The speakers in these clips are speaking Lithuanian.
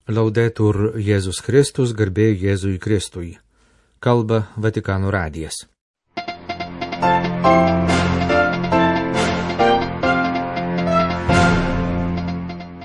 Laudetur Jėzus Kristus, garbė Jėzui Kristui. Kalba Vatikano radijas.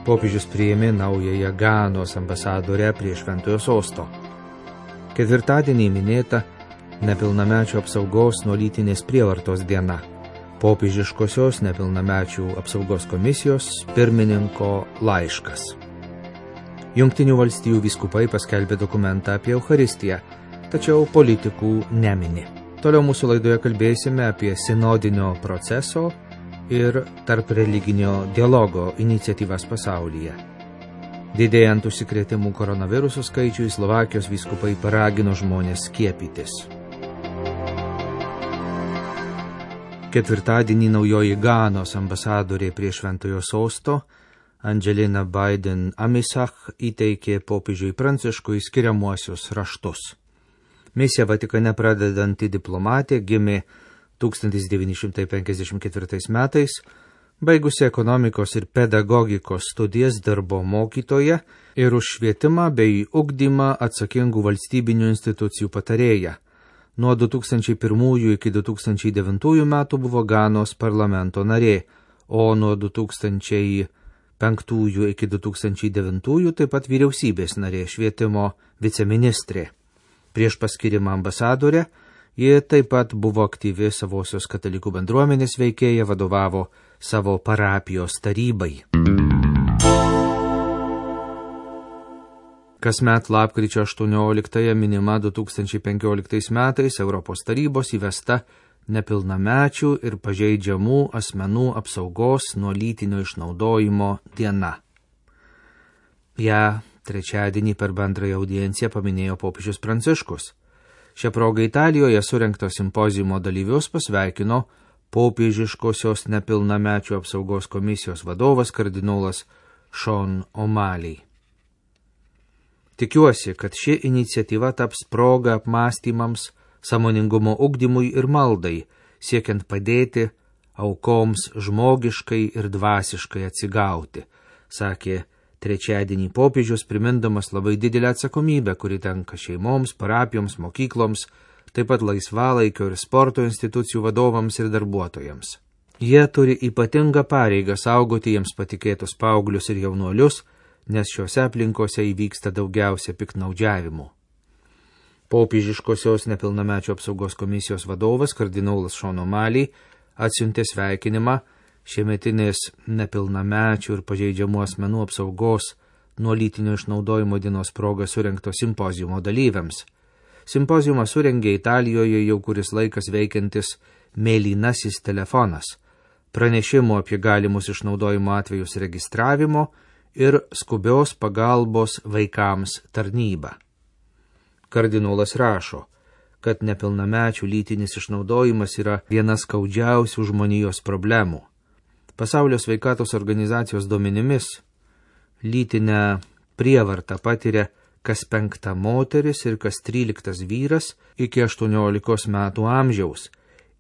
Popiežius priėmė naująją Ganos ambasadorę prie Šventojo sosto. Ketvirtadienį minėta nepilnamečių apsaugos nuo lytinės prievartos diena. Popiežiškosios nepilnamečių apsaugos komisijos pirmininko laiškas. Jungtinių valstijų vyskupai paskelbė dokumentą apie Eucharistiją, tačiau politikų nemini. Toliau mūsų laidoje kalbėsime apie sinodinio proceso ir tarp religinio dialogo iniciatyvas pasaulyje. Didėjant užsikrėtimų koronavirusų skaičiui, Slovakijos vyskupai paragino žmonės skiepytis. Ketvirtadienį naujoji Ganos ambasadorė prie Šventojo sosto Angelina Biden Amisach įteikė popiežiui Pranciškui skiriamuosius raštus. Misija Vatikane pradedanti diplomatė gimė 1954 metais, baigusi ekonomikos ir pedagogikos studijas dirbo mokytoja ir už švietimą bei ugdymą atsakingų valstybinių institucijų patarėja. Nuo 2001 iki 2009 metų buvo Ganos parlamento narė, o nuo 2005 iki 2009 taip pat vyriausybės narė, švietimo viceministrė. Prieš paskirimą ambasadorę ji taip pat buvo aktyvi savosios katalikų bendruomenės veikėja, vadovavo savo parapijos tarybai. Kasmet lapkričio 18 minima 2015 metais Europos tarybos įvesta nepilnamečių ir pažeidžiamų asmenų apsaugos nuo lytinio išnaudojimo diena. Ja trečiadienį per bendrąją audienciją paminėjo popiežius Pranciškus. Šią progą Italijoje surengto simpoziumo dalyvius pasveikino popiežiškosios nepilnamečių apsaugos komisijos vadovas kardinolas Sean O'Malley. Tikiuosi, kad ši iniciatyva taps proga apmąstymams, sąmoningumo ugdymui ir maldai, siekiant padėti aukoms žmogiškai ir dvasiškai atsigauti, sakė trečiadienį popiežius, primindamas labai didelę atsakomybę, kuri tenka šeimoms, parapijoms, mokykloms, taip pat laisvalaikio ir sporto institucijų vadovams ir darbuotojams. Jie turi ypatingą pareigą saugoti jiems patikėtus paauglius ir jaunuolius, nes šiuose aplinkose įvyksta daugiausia piktnaudžiavimų. Popiežiškosios nepilnamečių apsaugos komisijos vadovas kardinolas Sean O'Malley atsiuntė sveikinimą šiemetinės nepilnamečių ir pažeidžiamų asmenų apsaugos nuo lytinio išnaudojimo dienos proga surengto simpoziumo dalyviams. Simpoziumą surengė Italijoje jau kuris laikas veikiantis mėlynasis telefonas, pranešimo apie galimus išnaudojimo atvejus registravimo ir skubios pagalbos vaikams tarnyba. Kardinolas rašo, kad nepilnamečių lytinis išnaudojimas yra viena skaudžiausių žmonijos problemų. Pasaulio sveikatos organizacijos duomenimis lytinę prievartą patiria kas 5 moteris ir kas 13 vyras iki 18 metų amžiaus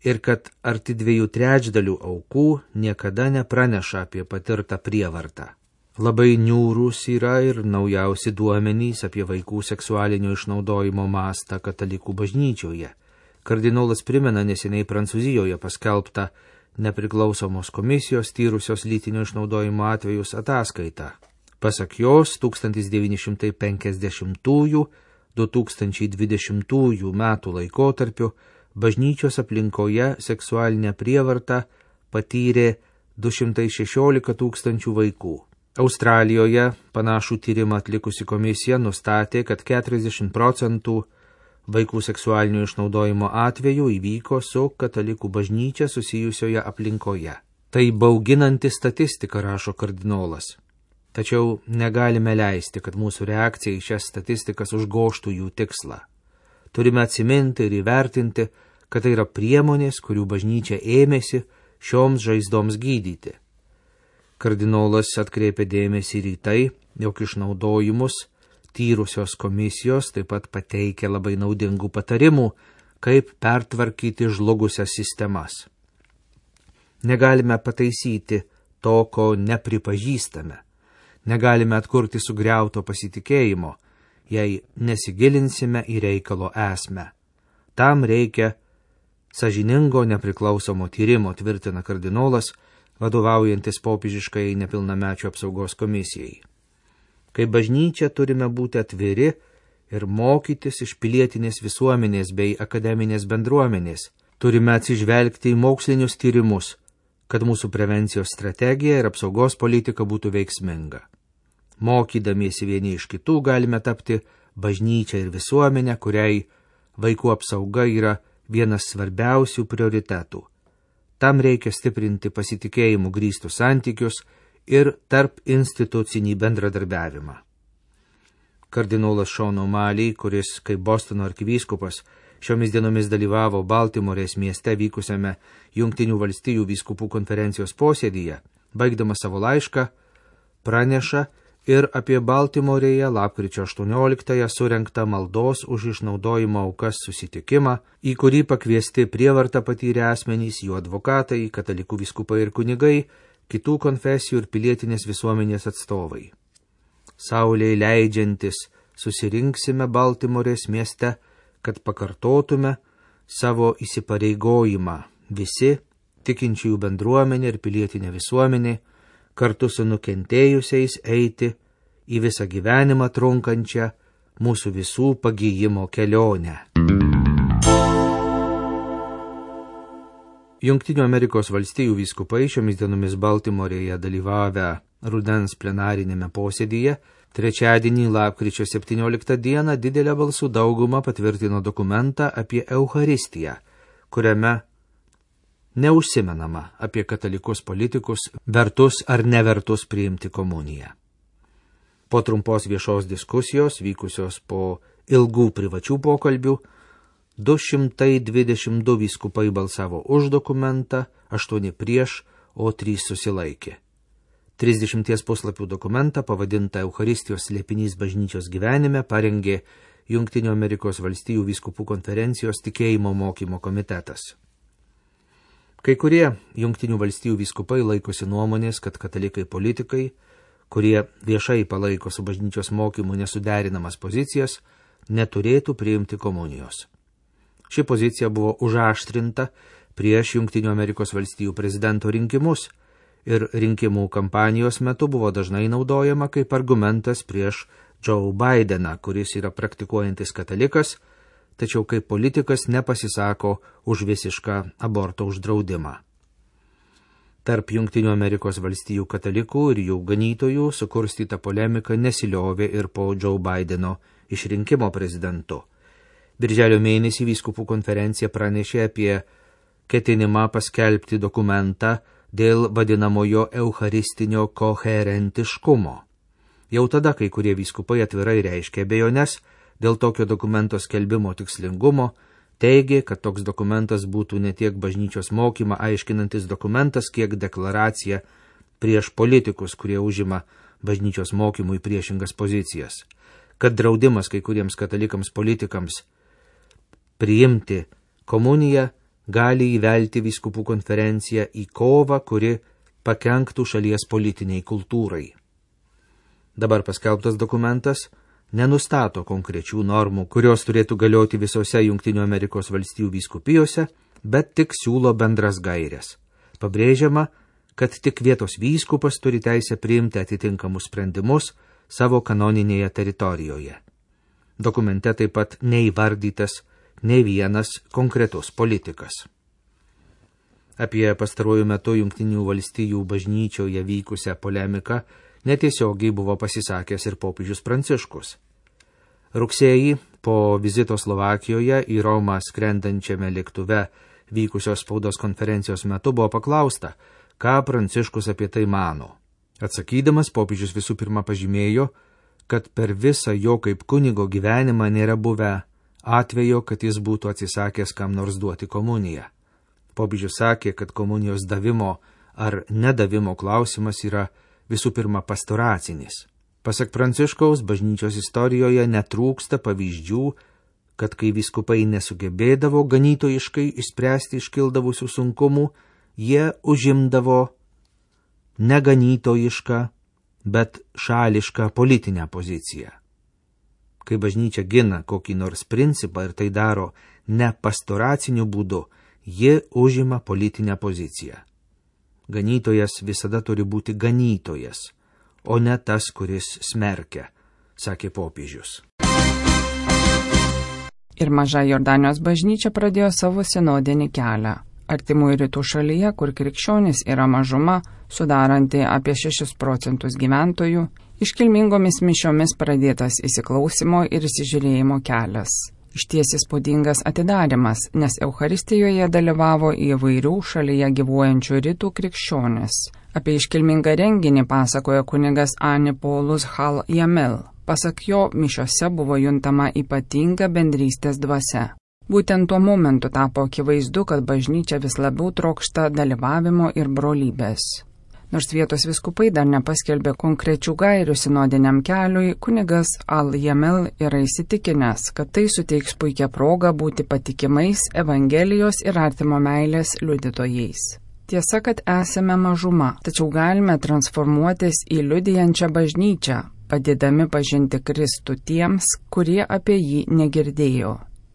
ir kad arti 2/3 aukų niekada nepraneša apie patirtą prievartą. Labai niūrūs yra ir naujausi duomenys apie vaikų seksualinio išnaudojimo mastą katalikų bažnyčioje. Kardinolas primena neseniai Prancūzijoje paskelbtą nepriklausomos komisijos tyrusios lytinio išnaudojimo atvejus ataskaitą. Pasak jos, 1950–2020 metų laikotarpiu bažnyčios aplinkoje seksualinę prievartą patyrė 216 tūkstančių vaikų. Australijoje panašų tyrimą atlikusi komisija nustatė, kad 40% vaikų seksualinio išnaudojimo atvejų įvyko su katalikų bažnyčia susijusioje aplinkoje. Tai bauginanti statistika, rašo kardinolas. Tačiau negalime leisti, kad mūsų reakcija į šias statistikas užgožtų jų tikslą. Turime atsiminti ir įvertinti, kad tai yra priemonės, kurių bažnyčia ėmėsi šioms žaizdoms gydyti. Kardinolas atkreipė dėmesį ir į tai, jog išnaudojimus tyrusios komisijos taip pat pateikia labai naudingų patarimų, kaip pertvarkyti žlugusias sistemas. Negalime pataisyti to, ko nepripažįstame. Negalime atkurti sugriauto pasitikėjimo, jei nesigilinsime į reikalo esmę. Tam reikia sąžiningo nepriklausomo tyrimo, tvirtina kardinolas, vadovaujantis popiežiškai nepilnamečių apsaugos komisijai. Kaip bažnyčia turime būti atviri ir mokytis iš pilietinės visuomenės bei akademinės bendruomenės. Turime atsižvelgti į mokslinius tyrimus, kad mūsų prevencijos strategija ir apsaugos politika būtų veiksminga. Mokydamiesi vieni iš kitų galime tapti bažnyčia ir visuomenė, kuriai vaikų apsauga yra vienas svarbiausių prioritetų. Tam reikia stiprinti pasitikėjimų grįstus santykius ir tarp institucinį bendradarbiavimą. Kardinolas Sean O'Malley, kuris kaip Bostono arkivyskupas šiomis dienomis dalyvavo Baltimorės mieste vykusiame Jungtinių valstijų vyskupų konferencijos posėdyje, baigdamas savo laišką, praneša ir apie Baltimorėje lapkričio 18-ąją surengtą maldos už išnaudojimo aukas susitikimą, į kurį pakviesti prievartą patyrę asmenys, jų advokatai, katalikų vyskupai ir kunigai, kitų konfesijų ir pilietinės visuomenės atstovai. Saulei leidžiantis susirinksime Baltimorės mieste, kad pakartotume savo įsipareigojimą visi, tikinčiųjų bendruomenė ir pilietinė visuomenė, kartu su nukentėjusiais eiti į visą gyvenimą trunkančią mūsų visų pagijimo kelionę. Jungtinių Amerikos valstijų vyskupai šiomis dienomis Baltimorėje dalyvavę rudens plenarinėme posėdyje, trečiadienį lapkričio 17 dieną didelę balsų daugumą patvirtino dokumentą apie Eucharistiją, kuriame neužsimenama apie katalikus politikus, vertus ar nevertus priimti komuniją. Po trumpos viešos diskusijos, vykusios po ilgų privačių pokalbių, 222 vyskupai balsavo už dokumentą, 8 prieš, o 3 susilaikė. 30 puslapių dokumentą, pavadintą Eucharistijos slėpinys bažnyčios gyvenime, parengė Jungtinių Amerikos valstijų vyskupų konferencijos tikėjimo mokymo komitetas. Kai kurie Jungtinių valstijų vyskupai laikosi nuomonės, kad katalikai politikai, kurie viešai palaiko su bažnyčios mokymu nesuderinamas pozicijas, neturėtų priimti komunijos. Ši pozicija buvo užaštrinta prieš Jungtinių Amerikos valstijų prezidento rinkimus ir rinkimų kampanijos metu buvo dažnai naudojama kaip argumentas prieš Joe Bideną, kuris yra praktikuojantis katalikas, tačiau kaip politikas nepasisako už visišką aborto uždraudimą. Tarp Jungtinių Amerikos valstijų katalikų ir jų ganytojų sukurstyta polemika nesiliovė ir po Joe Bideno išrinkimo prezidentu. Birželio mėnesį vyskupų konferencija pranešė apie ketinimą paskelbti dokumentą dėl vadinamojo eucharistinio koherentiškumo. Jau tada kai kurie vyskupai atvirai reiškė abejones dėl tokio dokumento skelbimo tikslingumo, teigė, kad toks dokumentas būtų ne tiek bažnyčios mokymą aiškinantis dokumentas, kiek deklaracija prieš politikus, kurie užima bažnyčios mokymui priešingas pozicijas, kad draudimas kai kuriems katalikams politikams priimti komuniją gali įvelti vyskupų konferenciją į kovą, kuri pakenktų šalies politiniai kultūrai. Dabar paskelbtas dokumentas nenustato konkrečių normų, kurios turėtų galioti visose Jungtinių Amerikos valstijų vyskupijose, bet tik siūlo bendras gaires. Pabrėžiama, kad tik vietos vyskupas turi teisę priimti atitinkamus sprendimus savo kanoninėje teritorijoje. Dokumente taip pat neįvardytas nei vienas konkretus politikas. Apie pastaruoju metu Jungtinių valstijų bažnyčioje vykusią polemiką netiesiogiai buvo pasisakęs ir popiežius Pranciškus. Rugsėjį po vizito Slovakijoje į Romą skrendančiame lėktuve vykusios spaudos konferencijos metu buvo paklausta, ką Pranciškus apie tai mano. Atsakydamas, popiežius visų pirma pažymėjo, kad per visą jo kaip kunigo gyvenimą nėra buvę atvejo, kad jis būtų atsisakęs kam nors duoti komuniją. Popiežius sakė, kad komunijos davimo ar nedavimo klausimas yra visų pirma pastoracinis. Pasak Pranciškaus, bažnyčios istorijoje netrūksta pavyzdžių, kad kai vyskupai nesugebėdavo ganytojiškai išspręsti iškildavusių sunkumų, jie užimdavo neganytojišką bet šališką politinę poziciją. Kai bažnyčia gina kokį nors principą ir tai daro ne pastoraciniu būdu, ji užima politinę poziciją. Ganytojas visada turi būti ganytojas, o ne tas, kuris smerkia, sakė popiežius. Ir Maža Jordanijos bažnyčia pradėjo savo sinodinį kelią. Artimųjų rytų šalyje, kur krikščionys yra mažuma, sudaranti apie 6% gyventojų, iškilmingomis mišiomis pradėtas įsiklausimo ir įsižiūrėjimo kelias. Išties įspūdingas atidarimas, nes Eucharistijoje dalyvavo įvairių šalyje gyvuojančių rytų krikščionys. Apie iškilmingą renginį pasakoja kunigas Anipolos Hal Jamel. Pasak jo, mišiose buvo juntama ypatinga bendrystės dvasia. Būtent tuo momentu tapo akivaizdu, kad bažnyčia vis labiau trokšta dalyvavimo ir brolybės. Nors vietos viskupai dar nepaskelbė konkrečių gairių sinodiniam keliui, kunigas Al Jamel yra įsitikinęs, kad tai suteiks puikią progą būti patikimais Evangelijos ir artimo meilės liudytojais. Tiesa, kad esame mažuma, tačiau galime transformuotis į liudijančią bažnyčią, padėdami pažinti Kristų tiems, kurie apie jį negirdėjo.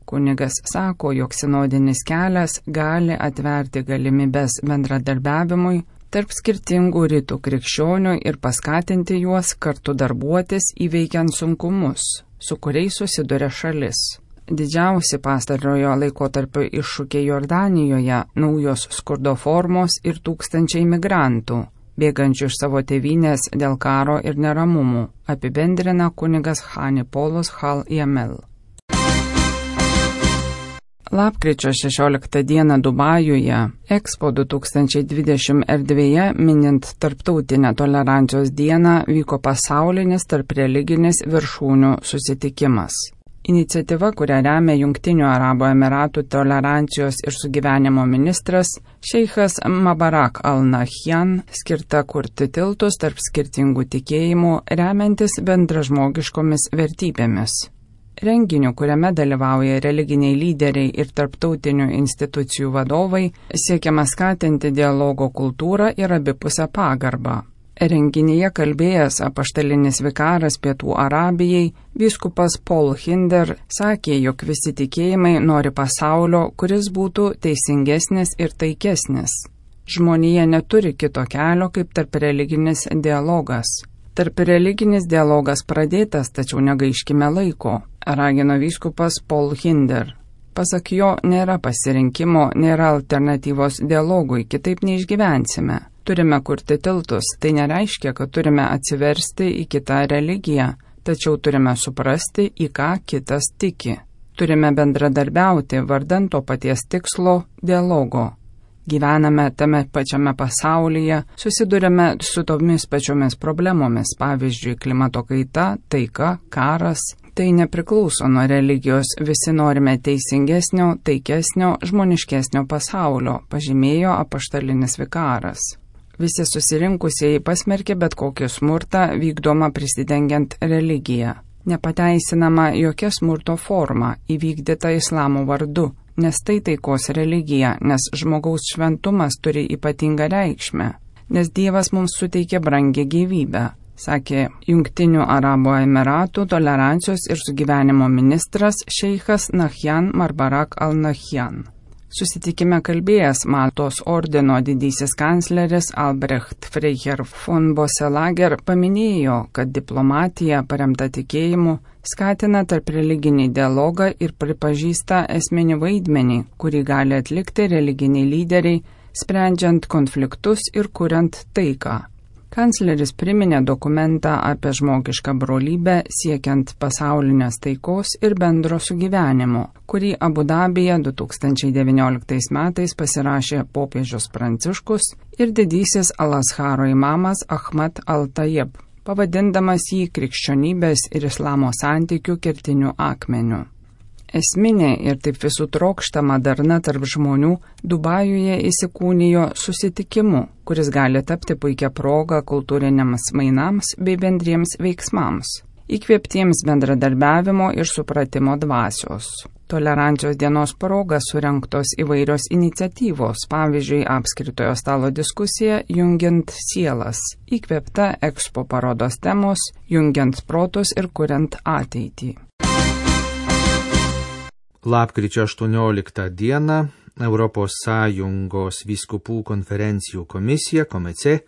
Kunigas sako, jog sinodinis kelias gali atverti galimybes bendradarbiavimui tarp skirtingų rytų krikščionių ir paskatinti juos kartu darbuotis įveikiant sunkumus, su kuriais susiduria šalis. Didžiausi pastarojo laikotarpio iššūkiai Jordanijoje – naujos skurdo formos ir tūkstančiai migrantų, bėgančių iš savo tėvynės dėl karo ir neramumų, apibendrina kunigas Anipolos Hal Jamel. Lapkričio 16 dieną Dubajuje, Expo 2020 erdvėje, minint Tarptautinę tolerancijos dieną, vyko pasaulinis tarpreliginis viršūnių susitikimas. Iniciatyva, kurią remia Jungtinių Arabų Emiratų tolerancijos ir sugyvenimo ministras šeichas Mabarak al-Nahyan, skirta kurti tiltus tarp skirtingų tikėjimų, remiantis bendražmogiškomis vertybėmis. Renginiu, kuriame dalyvauja religiniai lyderiai ir tarptautinių institucijų vadovai, siekiama skatinti dialogo kultūrą ir abipusę pagarbą. Renginyje kalbėjęs apaštalinis vikaras Pietų Arabijai, vyskupas Paul Hinder, sakė, jog visi tikėjimai nori pasaulio, kuris būtų teisingesnis ir taikesnis. Žmonija neturi kito kelio kaip tarpreliginis dialogas. Tarpreliginis dialogas pradėtas, tačiau negaiškime laiko, ragino vyskupas Paul Hinder. Pasak jo, nėra pasirinkimo, nėra alternatyvos dialogui, kitaip neišgyvensime. Turime kurti tiltus, tai nereiškia, kad turime atsiversti į kitą religiją, tačiau turime suprasti, į ką kitas tiki. Turime bendradarbiauti vardan to paties tikslo – dialogo. Gyvename tame pačiame pasaulyje, susidurime su tomis pačiomis problemomis, pavyzdžiui, klimato kaita, taika, karas. Tai nepriklauso nuo religijos, visi norime teisingesnio, taikesnio, žmoniškesnio pasaulio, pažymėjo apaštalinis vikaras. Visi susirinkusieji pasmerkė bet kokį smurtą vykdomą prisidengiant religiją. Nepateisinama jokia smurto forma įvykdyta islamo vardu, nes tai taikos religija, nes žmogaus šventumas turi ypatingą reikšmę, nes Dievas mums suteikė brangią gyvybę, sakė Jungtinių Arabų Emiratų tolerancijos ir sugyvenimo ministras šeichas Nahyan Marbarak al-Nahyan. Susitikime kalbėjęs Maltos ordino didysis kancleris Albrecht Freiherr von Bosselager paminėjo, kad diplomatija paremta tikėjimu skatina tarpreliginį dialogą ir pripažįsta esminį vaidmenį, kurį gali atlikti religiniai lyderiai, sprendžiant konfliktus ir kuriant taiką. Kancleris priminė dokumentą apie žmogišką brolybę siekiant pasaulinės taikos ir bendro sugyvenimo, kurį Abu Dabyje 2019 metais pasirašė popiežius Pranciškus ir didysis Al-Azharo imamas Ahmad al-Tayyib, pavadindamas jį krikščionybės ir islamo santykių kertiniu akmeniu. Esminė ir taip visų trokštama darna tarp žmonių Dubajuje įsikūnijo susitikimu, kuris gali tapti puikia proga kultūriniams mainams bei bendriems veiksmams, įkvėptiems bendradarbiavimo ir supratimo dvasios. Tolerancijos dienos proga surengtos įvairios iniciatyvos, pavyzdžiui, apskritojo stalo diskusija Jungiant sielas, įkvėpta Expo parodos temos Jungiant protus ir kuriant ateitį. Lapkričio 18 dieną Europos Sąjungos vyskupų konferencijų komisija KOMECE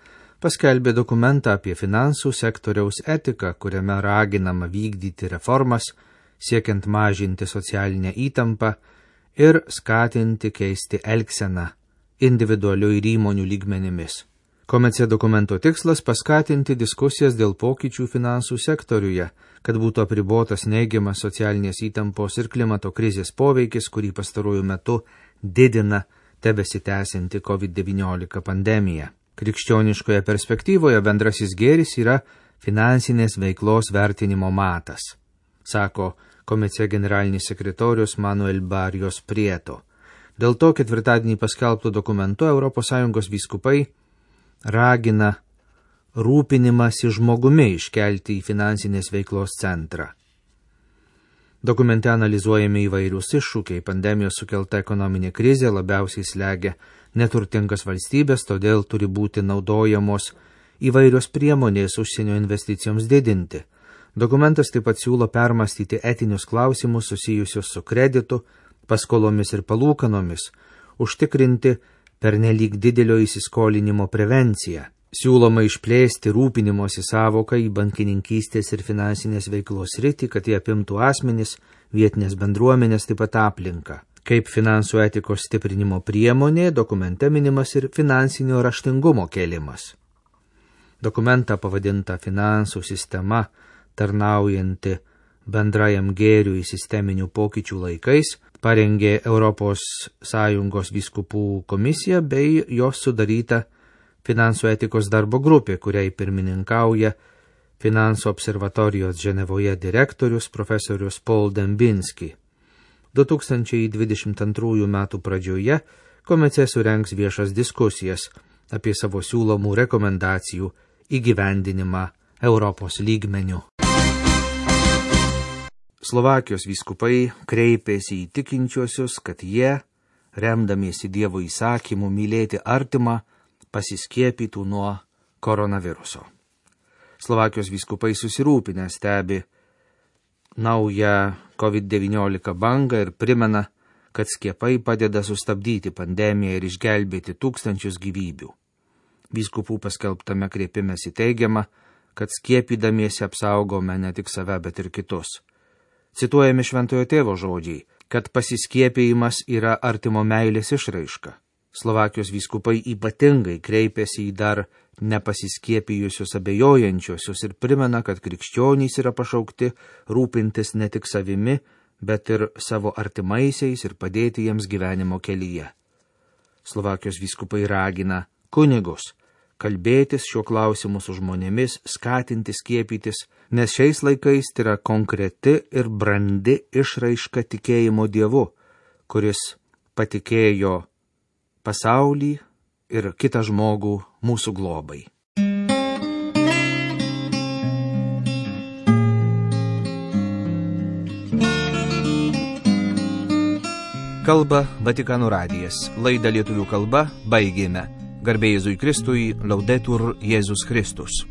paskelbė dokumentą apie finansų sektoriaus etiką, kuriame raginama vykdyti reformas, siekiant mažinti socialinę įtampą ir skatinti keisti elgseną individualių ir įmonių lygmenimis. KOMECE dokumento tikslas paskatinti diskusijas dėl pokyčių finansų sektoriuje, kad būtų apribotas neigiamas socialinės įtampos ir klimato krizės poveikis, kurį pastaruoju metu didina tebesitęsianti COVID-19 pandemija. Krikščioniškoje perspektyvoje bendrasis gėris yra finansinės veiklos vertinimo matas, sako KOMECE generalinis sekretorius Manuel Barrios Prieto. Dėl to ketvirtadienį paskelbto dokumentu ES vyskupai ragina rūpinimąsi žmogumi iškelti į finansinės veiklos centrą. Dokumente analizuojami įvairius iššūkiai, pandemijos sukelta ekonominė krizė labiausiai slegia neturtingas valstybės, todėl turi būti naudojamos įvairios priemonės užsienio investicijoms didinti. Dokumentas taip pat siūlo permastyti etinius klausimus susijusius su kreditu, paskolomis ir palūkanomis, užtikrinti pernelyg didelio įsiskolinimo prevenciją. Siūloma išplėsti rūpinimosi savoką į bankininkystės ir finansinės veiklos sritį, kad jie apimtų asmenis, vietinės bendruomenės, taip pat aplinką. Kaip finansų etikos stiprinimo priemonė, dokumente minimas ir finansinio raštingumo kėlimas. Dokumentą pavadinta finansų sistema, tarnaujanti bendrajam gėriui sisteminių pokyčių laikais, parengė Europos Sąjungos vyskupų komisija bei jos sudaryta finansų etikos darbo grupė, kuriai pirmininkauja Finansų observatorijos Ženevoje direktorius profesorius Paul Dembinski. 2022 metų pradžioje KOMECE surengs viešas diskusijas apie savo siūlomų rekomendacijų įgyvendinimą Europos lygmeniu. Slovakijos vyskupai kreipėsi į tikinčiuosius, kad jie, remdamiesi Dievo įsakymu mylėti artimą, pasiskiepytų nuo koronaviruso. Slovakijos vyskupai susirūpinę stebi naują COVID-19 bangą ir primena, kad skiepai padeda sustabdyti pandemiją ir išgelbėti tūkstančius gyvybių. Vyskupų paskelbtame kreipimesi teigiama, kad skiepydamiesi apsaugome ne tik save, bet ir kitus. Cituojami Šventojo Tėvo žodžiai, kad pasiskiepijimas yra artimo meilės išraiška. Slovakijos vyskupai ypatingai kreipėsi į dar nepasiskiepijusius abejojančiuosius ir primena, kad krikščionys yra pašaukti rūpintis ne tik savimi, bet ir savo artimaisiais ir padėti jiems gyvenimo kelyje. Slovakijos vyskupai ragina kunigus kalbėtis šiuo klausimu su žmonėmis, skatinti skiepytis, nes šiais laikais tai yra konkreti ir brandi išraiška tikėjimo Dievu, kuris patikėjo pasaulį ir kitą žmogų mūsų globai. Kalba Vatikano radijas. Laidą lietuvių kalba baigėme. Garbė Jėzui Kristui, Laudetur Jėzus Kristus.